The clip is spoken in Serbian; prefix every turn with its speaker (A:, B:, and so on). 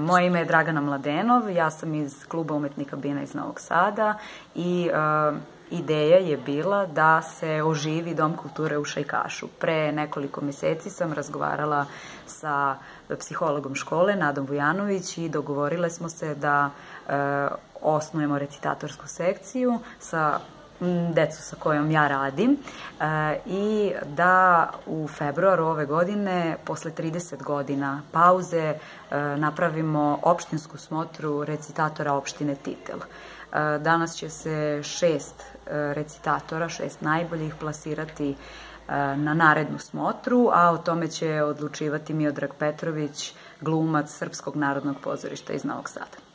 A: Moje ime je Dragana Mladenov, ja sam iz Kluba umetnika Bina iz Novog Sada i ideja je bila da se oživi Dom kulture u Šajkašu. Pre nekoliko meseci sam razgovarala sa psihologom škole, Nadom Vujanović, i dogovorile smo se da osnujemo recitatorsku sekciju sa decu sa kojom ja radim i da u februaru ove godine, posle 30 godina pauze, napravimo opštinsku smotru recitatora opštine Titel. Danas će se 6 recitatora, 6 najboljih, plasirati na narednu smotru, a o tome će odlučivati Miodrag Petrović, glumac Srpskog narodnog pozorišta iz Novog Sada.